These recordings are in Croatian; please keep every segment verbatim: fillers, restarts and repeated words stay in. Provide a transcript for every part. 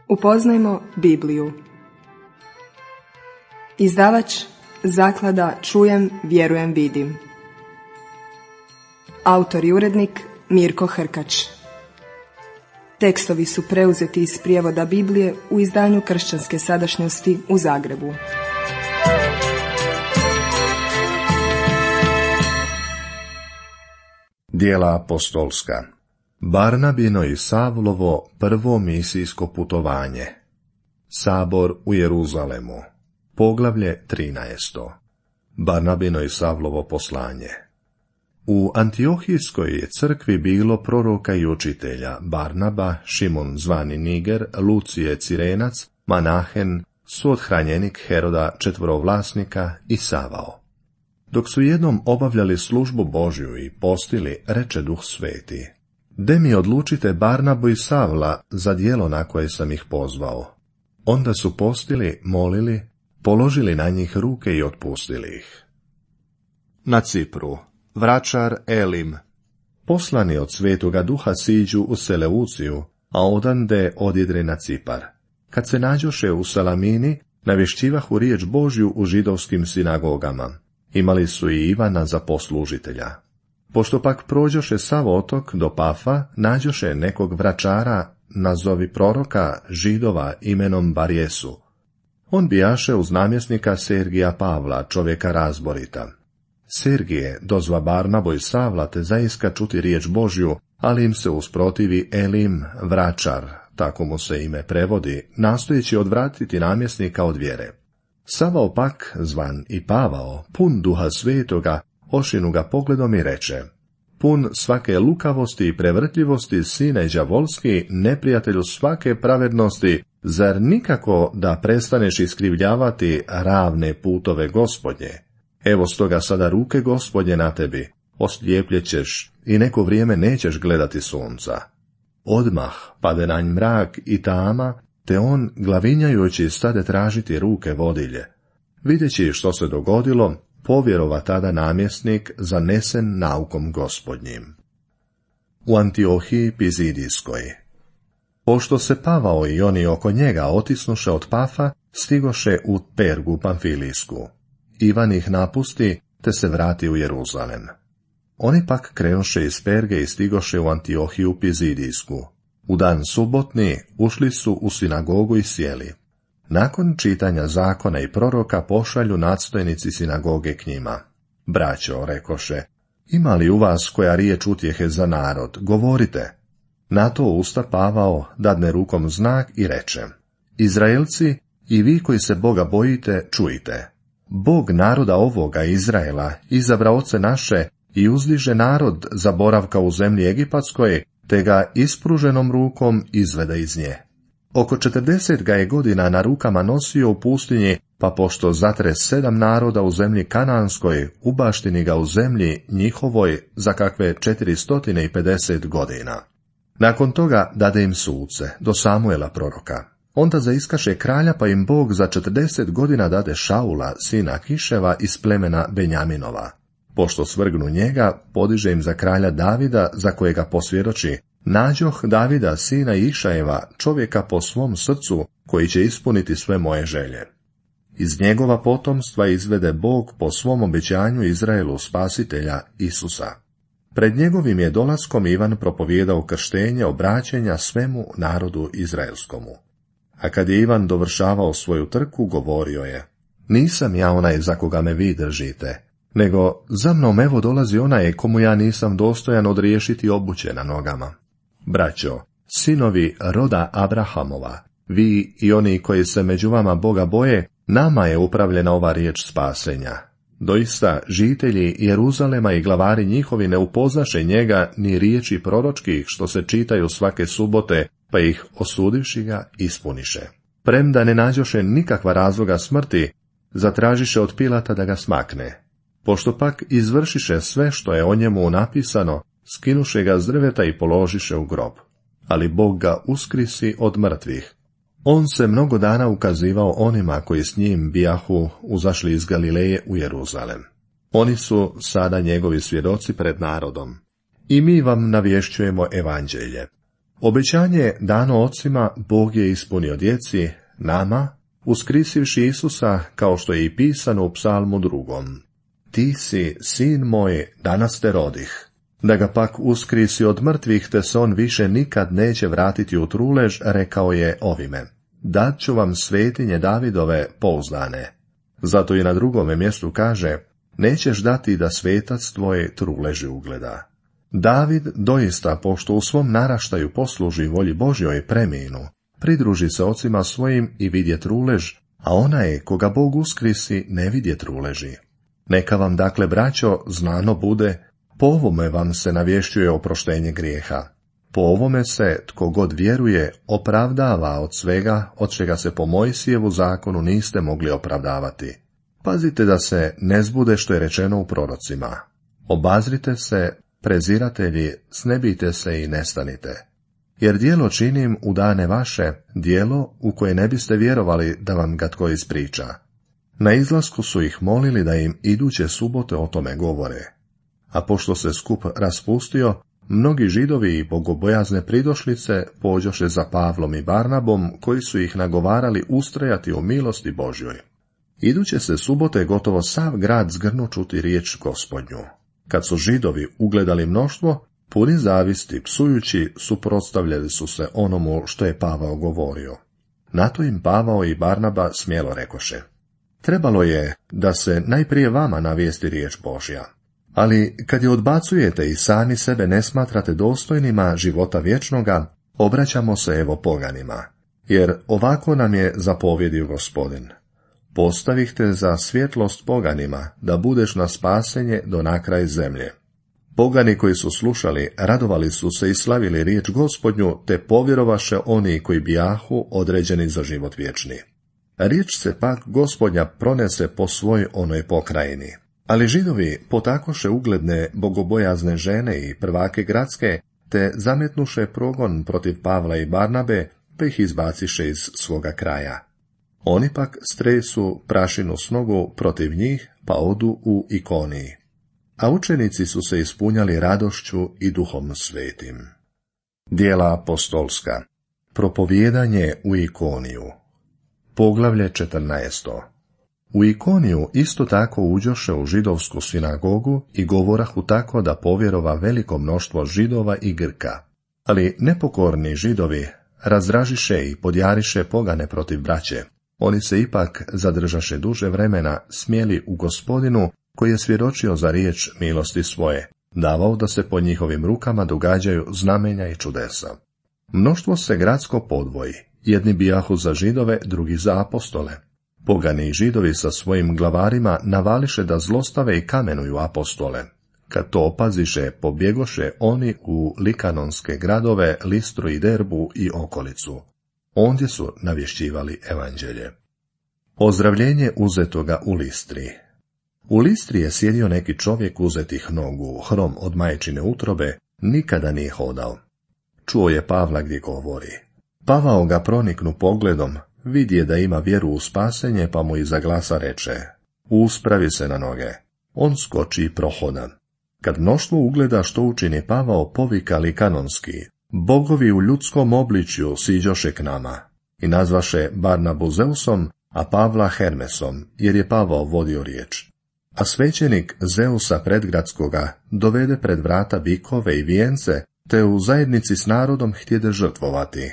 Upoznajmo Bibliju. Izdavač Zaklada Čujem, vjerujem, vidim. Autor i urednik Mirko Hrkač. Tekstovi su preuzeti iz prijevoda Biblije u izdanju Kršćanske sadašnjosti u Zagrebu. Djela apostolska. Barnabino i Savlovo prvo misijsko putovanje. Sabor u Jeruzalemu. Poglavlje trinaesto. Barnabino i Savlovo poslanje. U Antiohijskoj je crkvi bilo proroka i učitelja: Barnaba, Šimon zvani Niger, Lucije Cirenac, Manahen, suothranjenik Heroda četvorovlasnika i Savao. Dok su jednom obavljali službu Božju i postili, reče Duh Sveti: De mi odlučite Barnabu i Savla za djelo na koje sam ih pozvao. Onda su postili, molili, položili na njih ruke i otpustili ih. Na Cipru, vračar Elim, poslani od Svetoga Duha, siđu u Seleuciju, a odande odjedre na Cipar. Kad se nađoše u Salamini, navješćivahu riječ Božju u židovskim sinagogama. Imali su i Ivana za poslužitelja. Pošto pak prođoše sav otok do Pafa, nađoše nekog vračara, nazovi proroka Židova imenom Barjesu. On bijaše uz namjesnika Sergija Pavla, čovjeka razborita. Sergije dozva Barnabo i Savla te zaiska čuti riječ Božju, ali im se usprotivi Elim, vračar, tako mu se ime prevodi, nastojeći odvratiti namjesnika od vjere. Savao pak, zvan i Pavao, pun Duha Svetoga, ošinu ga pogledom i reče: Pun svake lukavosti i prevrtljivosti, sine đavolski, neprijatelju svake pravednosti, zar nikako da prestaneš iskrivljavati ravne putove Gospodnje? Evo stoga sada ruke Gospodnje na tebi, oslijepljećeš i neko vrijeme nećeš gledati sunca. Odmah pade na nj mrak i tama, te on, glavinjajući, stade tražiti ruke vodilje. Videći što se dogodilo, povjerova tada namjesnik, zanesen naukom Gospodnjim. U Antiohiji Pizidijskoj. Pošto se Pavao i oni oko njega otisnuše od Pafa, stigoše u Pergu Pamfilijsku. Ivan ih napusti, te se vrati u Jeruzalem. Oni pak krenuše iz Perge i stigoše u Antiohiju Pizidijsku. U dan subotni ušli su u sinagogu i sjeli. Nakon čitanja zakona i proroka pošalju nadstojnici sinagoge k njima. Braćo, rekoše, ima li u vas koja riječ utjehe za narod, govorite. Na to usta Pavao dadne rukom znak i reče: Izraelci i vi koji se Boga bojite, čujte. Bog naroda ovoga Izraela izabra oce naše i uzdiže narod za boravka u zemlji Egipatskoj, te ga ispruženom rukom izvede iz nje. Oko četrdeset ga je godina na rukama nosio u pustinji, pa pošto zatre sedam naroda u zemlji Kananskoj, ubaštini ga u zemlji njihovoj za kakve četiristotine i pedeset godina. Nakon toga dade im suce, do Samuela proroka. Onda zaiskaše kralja, pa im Bog za četrdeset godina dade Šaula, sina Kiševa iz plemena Benjaminova. Pošto svrgnu njega, podiže im za kralja Davida, za kojega posvjedoči: Nađoh Davida, sina Išajeva, čovjeka po svom srcu, koji će ispuniti sve moje želje. Iz njegova potomstva izvede Bog po svom obećanju Izraelu spasitelja Isusa. Pred njegovim je dolaskom Ivan propovijedao krštenje obraćenja svemu narodu izraelskomu. A kad je Ivan dovršavao svoju trku, govorio je: Nisam ja onaj za koga me vi držite, nego za mnom evo dolazi onaj komu ja nisam dostojan odriješiti obuće na nogama. Braćo, sinovi roda Abrahamova, vi i oni koji se među vama Boga boje, nama je upravljena ova riječ spasenja. Doista, žitelji Jeruzalema i glavari njihovi ne upoznaše njega ni riječi proročkih što se čitaju svake subote, pa ih, osudivši ga, ispuniše. Premda ne nađoše nikakva razloga smrti, zatražiše od Pilata da ga smakne. Pošto pak izvršiše sve što je o njemu napisano, skinuše ga s drveta i položiše u grob. Ali Bog ga uskrisi od mrtvih. On se mnogo dana ukazivao onima koji s njim bijahu uzašli iz Galileje u Jeruzalem. Oni su sada njegovi svjedoci pred narodom. I mi vam navješćujemo evanđelje. Obećanje dano ocima Bog je ispunio djeci, nama, uskrisivši Isusa, kao što je i pisano u psalmu drugom. Ti si, sin moj, danas te rodih. Da ga pak uskrisi od mrtvih, te se on više nikad neće vratiti u trulež, rekao je ovime: dat ću vam svetinje Davidove pouzdane. Zato i na drugome mjestu kaže: nećeš dati da svetac tvoj truleži ugleda. David doista, pošto u svom naraštaju posluži volji Božjoj, preminu, pridruži se ocima svojim i vidje trulež, a ona je, koga Bog uskrisi, ne vidje truleži. Neka vam dakle, braćo, znano bude, po ovome vam se navješćuje oproštenje grijeha. Po ovome se, tko god vjeruje, opravdava od svega, od čega se po Mojsijevu zakonu niste mogli opravdavati. Pazite da se ne zbude što je rečeno u prorocima: obazrite se, preziratelji, snebite se i nestanite. Jer djelo činim u dane vaše, djelo u koje ne biste vjerovali da vam ga tko ispriča. Na izlasku su ih molili da im iduće subote o tome govore. A pošto se skup raspustio, mnogi Židovi i bogobojazne pridošlice pođoše za Pavlom i Barnabom, koji su ih nagovarali ustrajati u milosti Božjoj. Iduće se subote gotovo sav grad zgrnu čuti riječ Gospodnju. Kad su Židovi ugledali mnoštvo, puni zavisti, psujući, suprotstavljali su se onomu što je Pavao govorio. Na to im Pavao i Barnaba smjelo rekoše: trebalo je da se najprije vama navijesti riječ Božja. Ali kad je odbacujete i sami sebe ne smatrate dostojnima života vječnoga, obraćamo se evo poganima, jer ovako nam je zapovjedio Gospodin: postavih te za svjetlost poganima, da budeš na spasenje do nakraj zemlje. Pogani koji su slušali, radovali su se i slavili riječ Gospodnju, te povjerovaše oni koji bijahu određeni za život vječni. Riječ se pak Gospodnja pronese po svoj onoj pokrajini. Ali Židovi potakoše ugledne bogobojazne žene i prvake gradske, te zametnuše progon protiv Pavla i Barnabe, pa ih izbaciše iz svoga kraja. Oni pak stresu prašinu s nogu protiv njih, pa odu u Ikoniji. A učenici su se ispunjali radošću i duhom svetim. Djela apostolska. Propovijedanje u Ikoniju. Poglavlje četrnaesto. U Ikoniju isto tako uđoše u židovsku sinagogu i govorahu tako da povjerova veliko mnoštvo Židova i Grka. Ali nepokorni Židovi razdražiše i podjariše pogane protiv braće. Oni se ipak zadržaše duže vremena smjeli u Gospodinu, koji je svjedočio za riječ milosti svoje, davao da se po njihovim rukama događaju znamenja i čudesa. Mnoštvo se gradsko podvoji, jedni bijahu za Židove, drugi za apostole. Pogani i Židovi sa svojim glavarima navališe da zlostave i kamenuju apostole. Kad to opaziše, pobjegoše oni u likanonske gradove, Listru i Derbu i okolicu. Ondje su navješćivali evanđelje. Ozdravljenje uzetoga u Listri. U Listri je sjedio neki čovjek uzetih nogu, hrom od majčine utrobe, nikada nije hodao. Čuo je Pavla gdje govori. Pavao ga proniknu pogledom, vidje da ima vjeru u spasenje, pa mu iza glasa reče: uspravi se na noge. On skoči i prohoda. Kad mnoštvo ugleda što učini Pavao, povika likanonski: bogovi u ljudskom obličju siđoše k nama. I nazvaše Barnabu Zeusom, a Pavla Hermesom, jer je Pavao vodio riječ. A svećenik Zeusa predgradskoga dovede pred vrata bikove i vijence, te u zajednici s narodom htjede žrtvovati.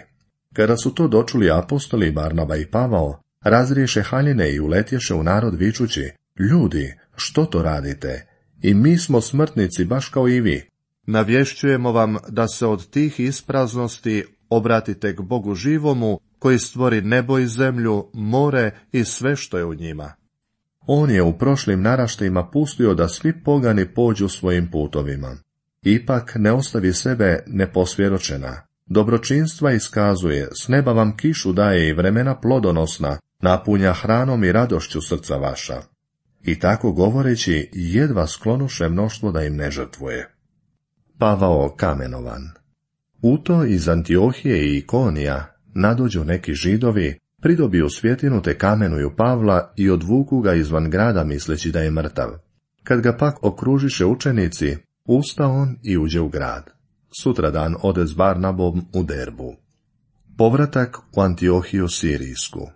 Kada su to dočuli apostoli Barnaba i Pavao, razriješe haljine i uletješe u narod vičući: ljudi, što to radite? I mi smo smrtnici baš kao i vi. Navješćujemo vam da se od tih ispraznosti obratite k Bogu živomu, koji stvori nebo i zemlju, more i sve što je u njima. On je u prošlim naraštajima pustio da svi pogani pođu svojim putovima. Ipak ne ostavi sebe neposvjedočena. Dobročinstva iskazuje, s neba vam kišu daje i vremena plodonosna, napunja hranom i radošću srca vaša. I tako govoreći, jedva sklonuše mnoštvo da im ne žrtvuje. Pavao kamenovan. U to iz Antiohije i Ikonija nadođu neki Židovi, pridobiju svjetinu te kamenuju Pavla i odvuku ga izvan grada misleći da je mrtav. Kad ga pak okružiše učenici, usta on i uđe u grad. sutradan ode s Barnabom u Derbu. Povratak u Antiohiju Sirijsku.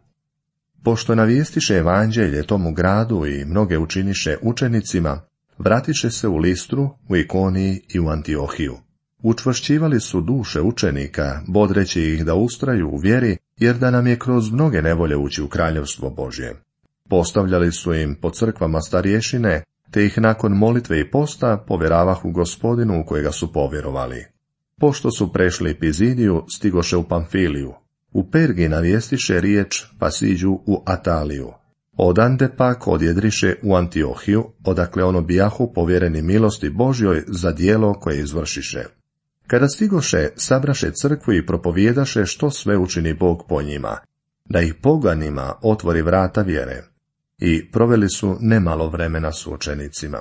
Pošto navistiše evanđelje tomu gradu i mnoge učiniše učenicima, vratiše se u Listru, u Ikoniji i u Antiohiju. Učvršćivali su duše učenika, bodreći ih da ustraju u vjeri, jer da nam je kroz mnoge nevolje ući u kraljevstvo Božje. Postavljali su im po crkvama starješine, te ih nakon molitve i posta povjeravahu Gospodinu u kojega su povjerovali. Pošto su prešli Pizidiju, stigoše u Pamfiliju. U Pergi navijestiše riječ, pa siđu u Ataliju. Odande pak odjedriše u Antiohiju, odakle ono bijahu povjereni milosti Božjoj za djelo koje izvršiše. Kada stigoše, sabraše crkvu i propovjedaše što sve učini Bog po njima, da ih poganima otvori vrata vjere. I proveli su nemalo vremena s učenicima.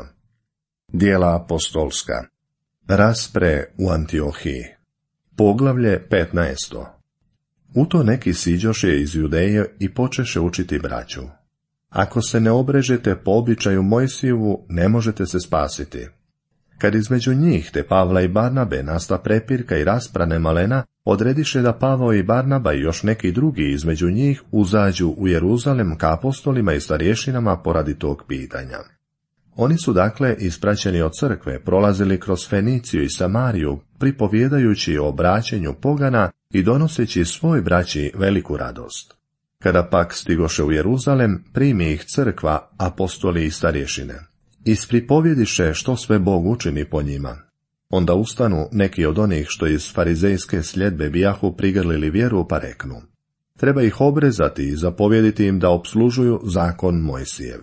Djela apostolska. Raspre u Antiohiji. Poglavlje petnaesto. U to neki siđoše iz Judeje i počeše učiti braću. Ako se ne obrežete po običaju Mojsijevu, ne možete se spasiti. Kad između njih, te Pavla i Barnabe, nasta prepirka i rasprane malena, odrediše da Pavao i Barnaba i još neki drugi između njih uzađu u Jeruzalem ka apostolima i starješinama poradi tog pitanja. Oni su dakle, ispraćeni od crkve, prolazili kroz Feniciju i Samariju, pripovjedajući o obraćenju pogana i donoseći svoj braći veliku radost. Kada pak stigoše u Jeruzalem, primi ih crkva, apostoli i starješine. Ispripovjediše što sve Bog učini po njima. Onda ustanu neki od onih što iz farizejske sljedbe bijahu prigrlili vjeru, pa reknu: treba ih obrezati i zapovjediti im da opslužuju zakon Mojsijev.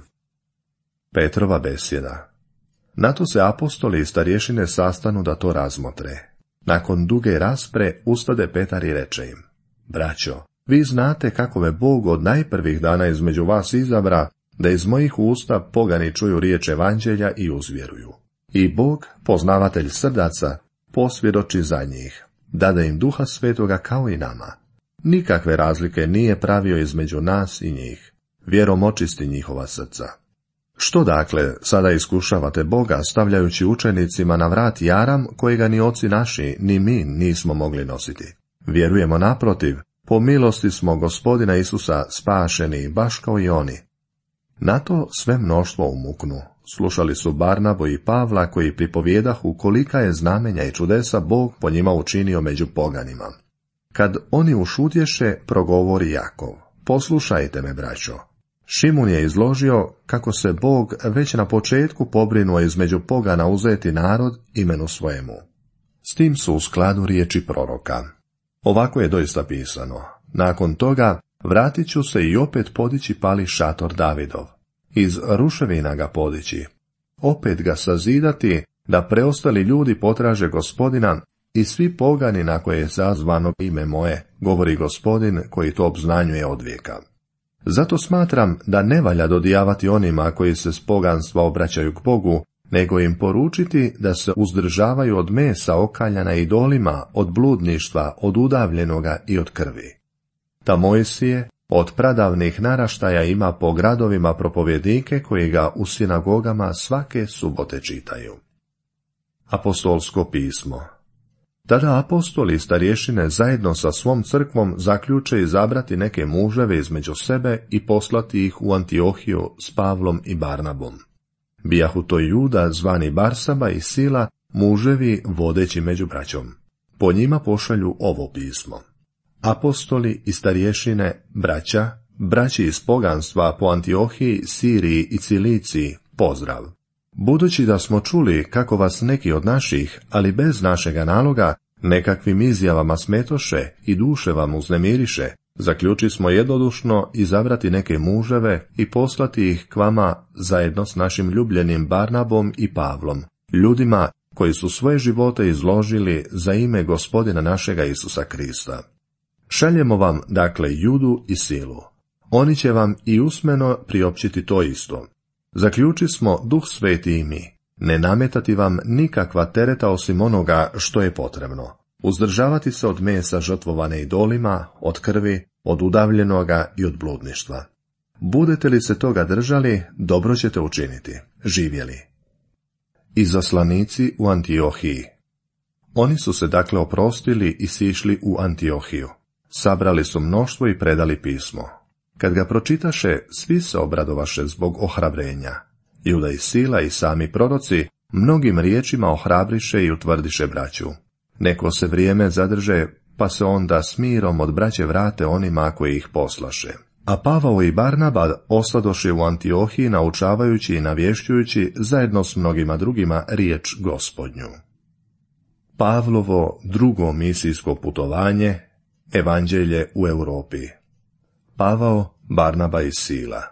Petrova besjeda. Na to se apostoli i starješine sastanu da to razmotre. Nakon duge raspre ustade Petar i reče im: braćo, vi znate kako me Bog od najprvih dana između vas izabra, da iz mojih usta pogani čuju riječ evanđelja i uzvjeruju. I Bog, poznavatelj srdaca, posvjedoči za njih, dade im Duha Svetoga kao i nama. Nikakve razlike nije pravio između nas i njih, vjerom očisti njihova srca. Što dakle sada iskušavate Boga, stavljajući učenicima na vrat jaram kojega ni oci naši, ni mi nismo mogli nositi? Vjerujemo naprotiv, po milosti smo Gospodina Isusa spašeni, baš kao i oni. Na to sve mnoštvo umuknu. Slušali su Barnabu i Pavla, koji pripovjedahu kolika je znamenja i čudesa Bog po njima učinio među poganima. Kad oni ušutješe, progovori Jakov: poslušajte me, braćo. Šimun je izložio kako se Bog već na početku pobrinuo između pogana uzeti narod imenu svojemu. S tim su u skladu riječi proroka. Ovako je doista pisano: nakon toga vratit ću se i opet podići pali šator Davidov, iz ruševina ga podići, opet ga sazidati, da preostali ljudi potraže Gospodina i svi pogani na koje je zazvano ime moje, govori Gospodin koji to obznanjuje od vijeka. Zato smatram da ne valja dodijavati onima koji se s poganstva obraćaju k Bogu, nego im poručiti da se uzdržavaju od mesa okaljana idolima, od bludništva, od udavljenoga i od krvi. Ta Mojsije od pradavnih naraštaja ima po gradovima propovjednike koji ga u sinagogama svake subote čitaju. Apostolsko pismo. Tada apostoli i starješine zajedno sa svom crkvom zaključe izabrati neke muževe između sebe i poslati ih u Antiohiju s Pavlom i Barnabom. Bijahu to Juda zvani Barsaba i Sila, muževi vodeći među braćom. Po njima pošalju ovo pismo: apostoli i starješine, braća, braći iz poganstva po Antiohiji, Siriji i Ciliciji, pozdrav. Budući da smo čuli kako vas neki od naših, ali bez našega naloga, nekakvim izjavama smetoše i duše vam uznemiriše, zaključi smo jednodušno izabrati neke muževe i poslati ih k vama zajedno s našim ljubljenim Barnabom i Pavlom, ljudima koji su svoje živote izložili za ime Gospodina našega Isusa Krista. Šaljemo vam, dakle, Judu i Silu. Oni će vam i usmeno priopćiti to isto. Zaključi smo Duh Sveti i mi, ne nametati vam nikakva tereta osim onoga što je potrebno. Uzdržavati se od mesa žrtvovane idolima, od krvi, od udavljenoga i od bludništva. Budete li se toga držali, dobro ćete učiniti. Živjeli. Izaslanici u Antiohiji. Oni su se dakle oprostili i sišli u Antiohiju. Sabrali su mnoštvo i predali pismo. Kad ga pročitaše, svi se obradovaše zbog ohrabrenja. Juda i Sila i sami proroci mnogim riječima ohrabriše i utvrdiše braću. Neko se vrijeme zadrže, pa se onda s mirom od braće vrate onima koji ih poslaše. A Pavao i Barnaba ostadoše u Antiohiji naučavajući i navješćujući zajedno s mnogima drugima riječ Gospodnju. Pavlovo drugo misijsko putovanje, evanđelje u Europi. Pavao, Barnaba i Sila.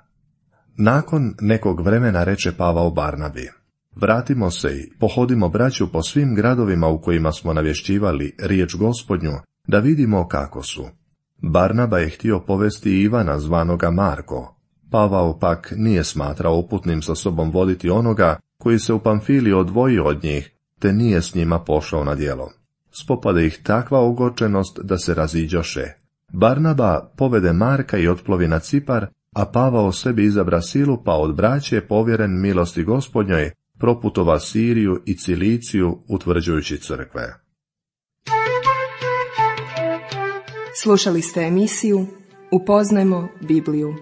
Nakon nekog vremena reče Pavao Barnabi: vratimo se i pohodimo braću po svim gradovima u kojima smo navješćivali riječ Gospodnju, da vidimo kako su. Barnaba je htio povesti Ivana zvanoga Marko. Pavao pak nije smatrao uputnim sa sobom voditi onoga koji se u Pamfiliji odvojio od njih, te nije s njima pošao na djelo. Spopade ih takva ogorčenost da se raziđoše. Barnaba povede Marka i otplovi na Cipar, a Pavao sebi izabra Silu, pa od braće povjeren milosti Gospodnjoj proputova Siriju i Ciliciju, utvrđujući crkve. Slušali ste emisiju Upoznajmo Bibliju.